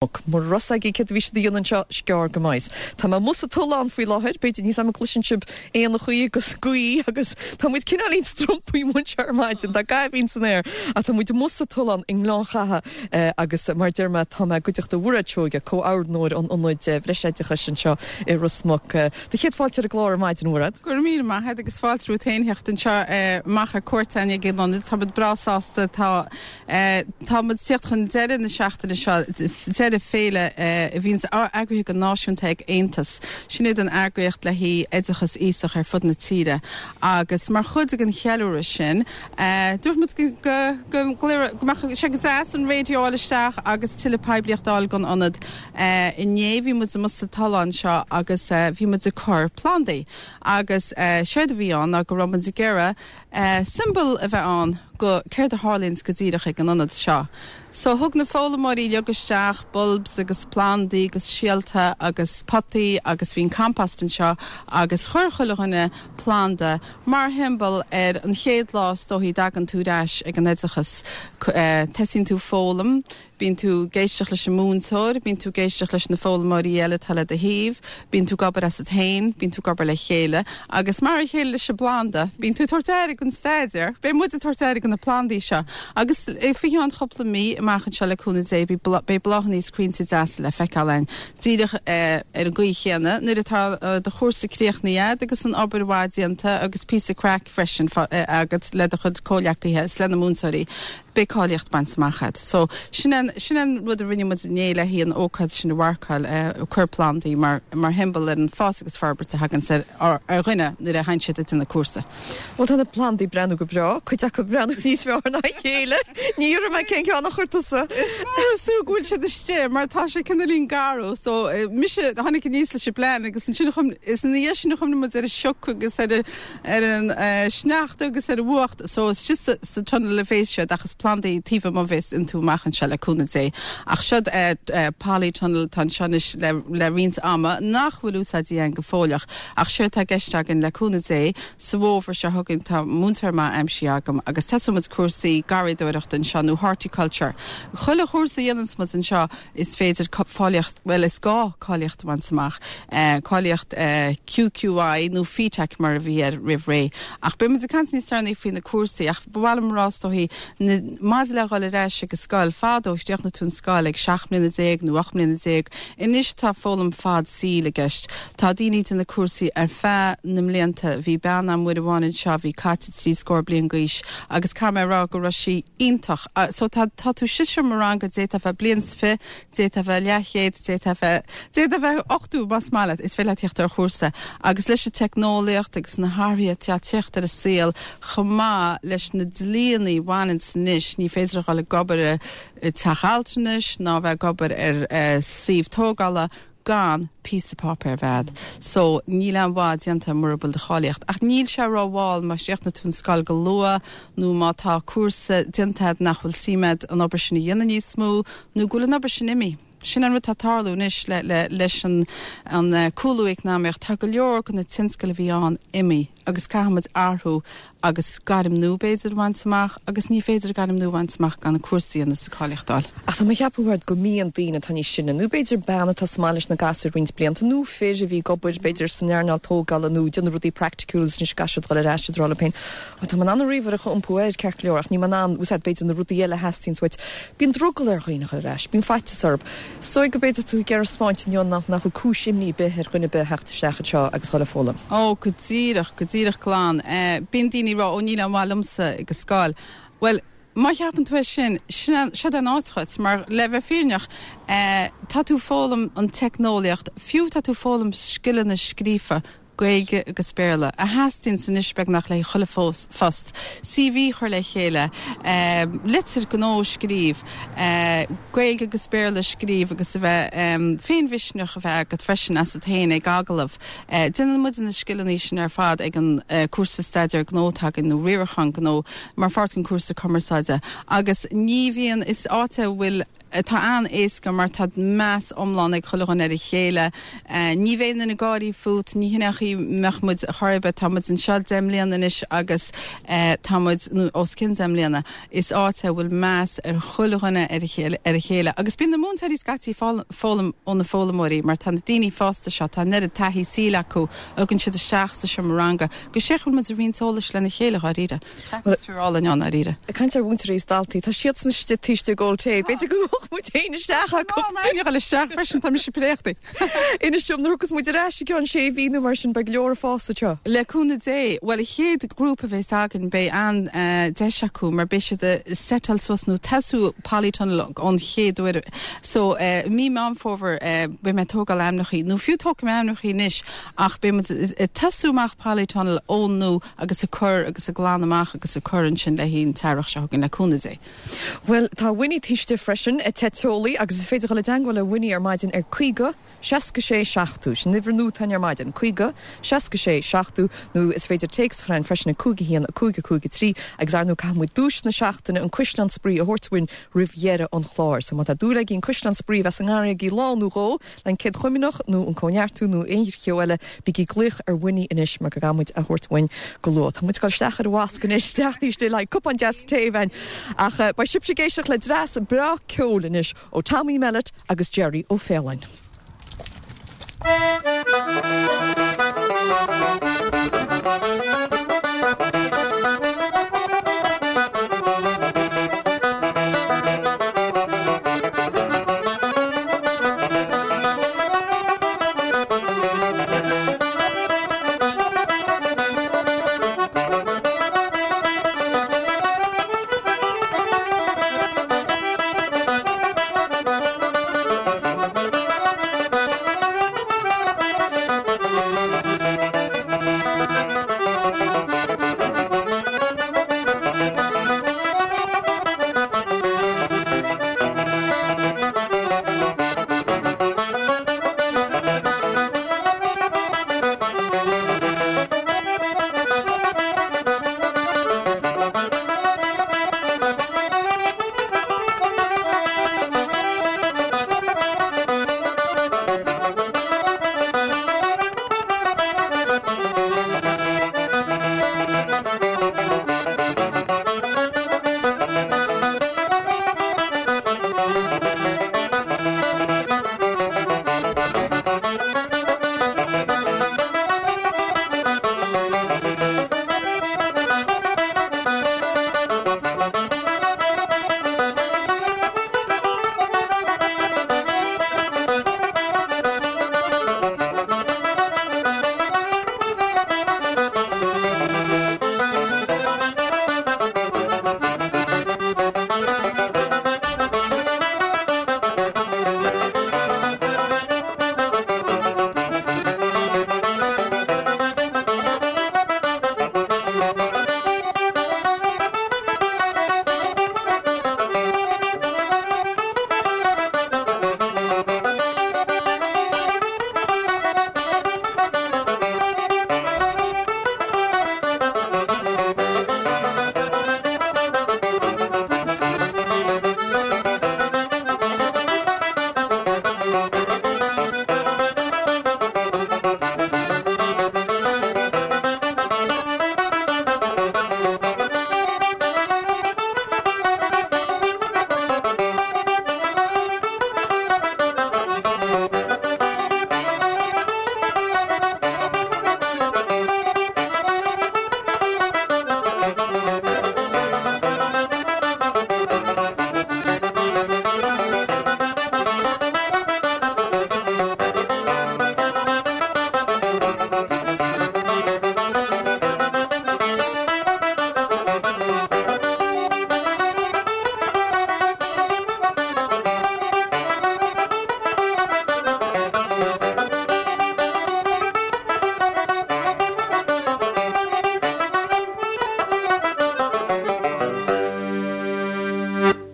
Mura raibh 's agaibh céard a bhí siad a dhéanamh anseo, is gearr go mbeidh. Tá mé amuigh sa tollán faoi láthair, b'fhéidir níl 's agam an gcloiseann sibh éanachaí agus gaoth agus tá muid cineáilín strompaí amuigh anseo ar maidin, tá gaibhín san aer ach tá muid amuigh sa tollán i nGleann Chatha agus mar a deir mé tá mé i gcuideachta Mhairéad Seoige, comhordnóir an Ionaid Bhreisoideachais anseo i Ros Muc. Do chéad fáilte ar an gclár ar maidin, a Mhairéad. Go raibh míle maith agat agus fáilte romhat féin theacht anseo amach ar cuairt againn ag an ionad. Tá muid breá sásta, tá. Tá muid ag tíocht chun deireadh na seachtaine seo, deireadh féile a bhíonns eagraithe go náisiúnta ag Aontas. Sin iad an eagraíocht le haghaidh oideachas aosach ar fud na tíre agus mar chuid den cheiliúradh sin, dúirt muid go mbeadh sé go deas an raidió a fháil isteach agus tuilleadh poiblíocht a fháil don ionad. Inné bhí muid amuigh sa tollán seo agus bhí muid ag cur plandaí agus séard a bhí ann ná go raibh muid ag iarraidh siombail a bheith ann go céard a tharlaíonns go díreach ag an ionad seo. So thug na foghlaimeoirí uilig isteach bulbs agus plandaí agus síolta agus potaí agus bhí an compost anseo agus chuir chuile dhuine planda mar shiombail ar an chéad lá is dóichí a dtagann tú ar ais ag an oideachas. Tosaíonn tú foghlaim Bíonn tú ag éisteacht leis an múinteoir, bíonn tú ag éisteacht leis na foghlaimeoirí eile atá le do thaobh, bíonn tú ag obair asat féin, bíonn tú ag obair le chéile agus mar a chéile leis an bplanda, bíonn tú ag tabhairt aire don staidéar, beidh muid ag tabhairt aire do na plandaí seo agus faoi cheann chúpla mí amach anseo le cúnamh Dé beidh bláthanna is crainnte deasa le feiceáil ann. Díreach ar an gcaoi chéanna nuair atá do chúrsa críochnaithe agat agus an obair mhaith déanta agus píosa craic freisin agat le do chuid comhleacaithe is le na múinteoirí, beidh cáilíocht bainte amach agat. So, sin an, sin an rud a rinne muid inné le haghaidh an ócáid sin a mharcáil, eh, cur plandaí mar, mar shiombail ar an fás agus forbairt a thaganns ar, ar, ar dhuine nuair a théann siad ag déanamh cúrsa. Bhuel, tá na plandaí ag breathnú go breá, cuid acu ag breathnú níos fearr ná a chéile. Ní fhiafróidh mé cén ceann a chuir tusa. Is mór is fiú go bhfuil siad istigh mar tá sé cineáilín garbh. So, eh, mise, tháinig aníos leis an bplean agus ansin a chuim, is ina dhiaidh sin a chuimhnigh muid ar an sioc agus ar an, ar an sneachta agus ar an bhfuacht so istigh sa tunnel a bhéas siad ach is plandaí taobh amuigh a bhéas iontu amach anseo le cúnamh Dé. Ach siod polytunnel atá anseo anois le roinnt ama nach bhfuil úsáidte againn go fóilleach ach séard atá i gceist againn le cúnamh Dé sa bhfómhar seo chugainn tá múinteoir maith aimsithe agam agus tosóidh muid cúrsaí garraíodóireachta anseo nó horticulture. Chuile chúrsa a dhéananns muid anseo Is féidir cáilíocht, bhuel is gá cáilíocht a bhaint amach, cáilíocht QQI nó FETAC mar a bhí air roimh ré. Ach beidh muid ag caint níos deireanaí faoi na cúrsaí ach ba mhaith liom a rá is dóichí, maidir le dhul ar ais ag an scoil, fadó chríochnaigh tú an scoil ag 17 mbliana nó 18 mbliana, anois tá foghlaim fad saoil i gceist. Tá daoine ag déanamh cúrsaí ar feadh na mblianta. Bhí bean a'm uair amháin anseo a bhí caite trí scór bliain d'aois agus caithfidh mé a rá go raibh sí iontach. So tá, tá tú sa seomra ranga, d'fhéadfá bheith bliain is fi, d'fhéadfá bheith leathchéad, d'fhéadfá bheith, d'fhéadfá bheith 80 más maith leat, is féidir leat theacht ar chúrsa. Agus leis an teicneolaíocht agus na hathruithe atá ag teacht ar an saol, chomh maith leis na dlíonna a bhaineanns anois, ní féidir a dhul ag obair i dteach altranais ná bheith ag obair ar suíomh tógála, gan píosa páipéir a bheith a'd. So, níl aon mhaith déanta mura bhfuil do cháilíocht. Ach níl sé ró-mhall má chríochnaigh tú an scoil go luath nó má tá cúrsa déanta a'd nach bhfuil suim a'd an obair sin a dhéanamh níos mó nó go bhfuil an obair sin imithe. Sin an rud atá ag tarlú anois le, le, leis an, an cúlú eacnamaíoch. Tá go leor de na tionscail a bhí ann imithe agus caithfidh muid athrú agus gairm nua b'fhéidir a bhaint amach agus ní féidir gairm nua a bhaint amach gan an cúrsa a dhéanamh is an cáilíocht a fháil. Ach tá mé ag ceapadh Mhairéad go mbíonn daoine atá níos sine nó b'fhéidir bean atá sa mbaile leis na gasúir roinnt blianta nó fir a bhí ag obair b'fhéidir san earnáil tógála nó ag déanamh rudaí praiticiúla agus anois caithfidh siad dul ar ais ag rá leo féin Ó tá mé in ann an ríomhaire a iompú air ceart go leor ach níl mé in ann úsáid b'fhéidir na rudaí eile a theastaíonns uait. Bíonn drogall ar dhaoine a dhul ar ais, bíonn faitíos orthu. Is dóigh go b'fhéidir tú ag iarraidh 'spáint inniu nach nach bhfuil cúis imní ar bith ar dhuine ar bith a theacht isteach anseo agus dhul ag foghlaim. Ó, go díreach, go díreach glan. Bíonn daoine ag rá, ó níl aon mhaith liomsa ag an scoil. Bhuel, má cheapann tú é sin, sin é, seod é an áit dhuit, mar le bheith fírinneach, tá tú ag foghlaim an teicneolaíocht, fiú tá tú ag foghlaim scileanna scríofa, Gaeilge agus Béarla, a theastaíonns anois beagnach le chuile phost, CV a chur le chéile, litir gnó a scríobh, Gaeilge agus Béarla a scríobh agus a bheith, féinmhisneach a bheith agat freisin asat féin ag agallamh. Déanann muid na scileanna sin ar fad ag an cúrsa staidéar gnó atá againn nó riarachán gnó mar pháirt den cúrsa cumarsáide agus ní bhíonn, is áit é a bhfuil. Tá an-éasca mar tá meas iomlán ag chuile dhuine ar a chéile. Ní bheidh aon duine ag gáirí fút, ní hin é an chaoi a mbeadh muid chor ar bith. Tá muid anseo 10 mbliana anois agus tá muid, nó os cionn 10 mbliana. Is áit é a bhfuil meas ar chuile dhuine ar a chéile agus bíonn na múinteoirí scaití ag foghlaim ó na foghlaimeoirí mar tá na daoine fásta seo, tá an oiread taithí saoil acu, a thugann siad isteach sa seomra ranga agus sé go bhfuil muid ag roinnt eolais lena chéile, dháiríre. Atmaisféar álainn ann, dháiríre. Ag caint ar mhúinteoirí is daltaí, tá siadsan istigh taobh istigh ag ól tae, b'fhéidir go ngabhfadh muid féin isteach acu. Tá mé ag dul isteach freisin, tá mise préachta. Inis dom, nuair a thiocfas muid ar ais i gceann sé mhí nó mar sin, beidh go leor ag fás anseo. Le cúnamh Dé. Bhuel, an chéad ghrúpa a bheas againn, beidh an-deis acu mar beidh siad ag seiteáil suas nó tosú polytunnel ón chéad uair. So, mí Meán Fómhair, beidh mé ag tógáil ainmneachaí, nó fiú tógfaidh mé ainmneachaí anois, ach beidh muid ag tosú amach polytunnel ón nua agus ag cur agus ag glanadh amach agus ag cur ansin le haghaidh an t-earrach seo chugainn, le cúnamh Dé. Bhuel, tá Winnie taobh istigh freisin, teicneolaí, agus is féidir dul i dteangmháil le Winnie ar maidin ar 50 66 70. Sin uimhir nua atá ar maidin, 50 66 70, nó is féidir téacs a chur chugainn freisin ag 5 1 5 5 3, agus ar ndóigh caithfidh muid duais na seachtaine, an Cuisleán Spraoi, a thabhairt uainn roimh dheireadh an chláir. So má tá dúil agaibh an Cuisleán Spraoi a bheas i ngarraí agaibh lá nó dhó, an Chéad Chomaoineach nó an Cóineartú nó aon cheo eile, bígí ag glaoch ar Winnie anois mar go gcaithfidh muid a thabhairt uainn go luath. Tá muid ag dul isteach ar an wasc anois, isteach taobh istigh le haghaidh cupán deas tae amháin. Ach beidh sibhse ag éisteacht le dreas breá ceoil anois ó Tommy Mellett agus Jerry Ó Faoláin.